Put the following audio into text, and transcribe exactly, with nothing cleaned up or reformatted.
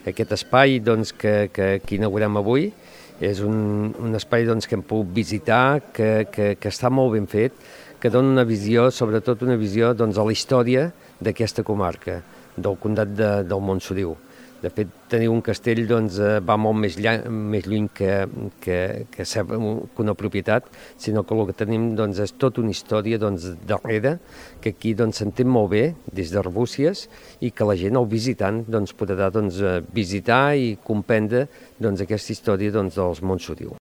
Aquest espai doncs, que, que, que inaugurem avui és un, un espai doncs, que hem pogut visitar, que, que, que està molt ben fet, que dona una visió, sobretot una visió doncs, a la història d'aquesta comarca, del Comtat de, del Montsoriu. De fet, tenir un castell doncs, va molt més, lla, més lluny que, que, que ser una propietat, sinó que el que tenim doncs, és tota una història doncs, darrere, que aquí doncs, s'entén molt bé des d'Arbúcies i que la gent, el visitant, doncs, podrà doncs, visitar i comprendre doncs, aquesta història doncs, dels Montsoriu.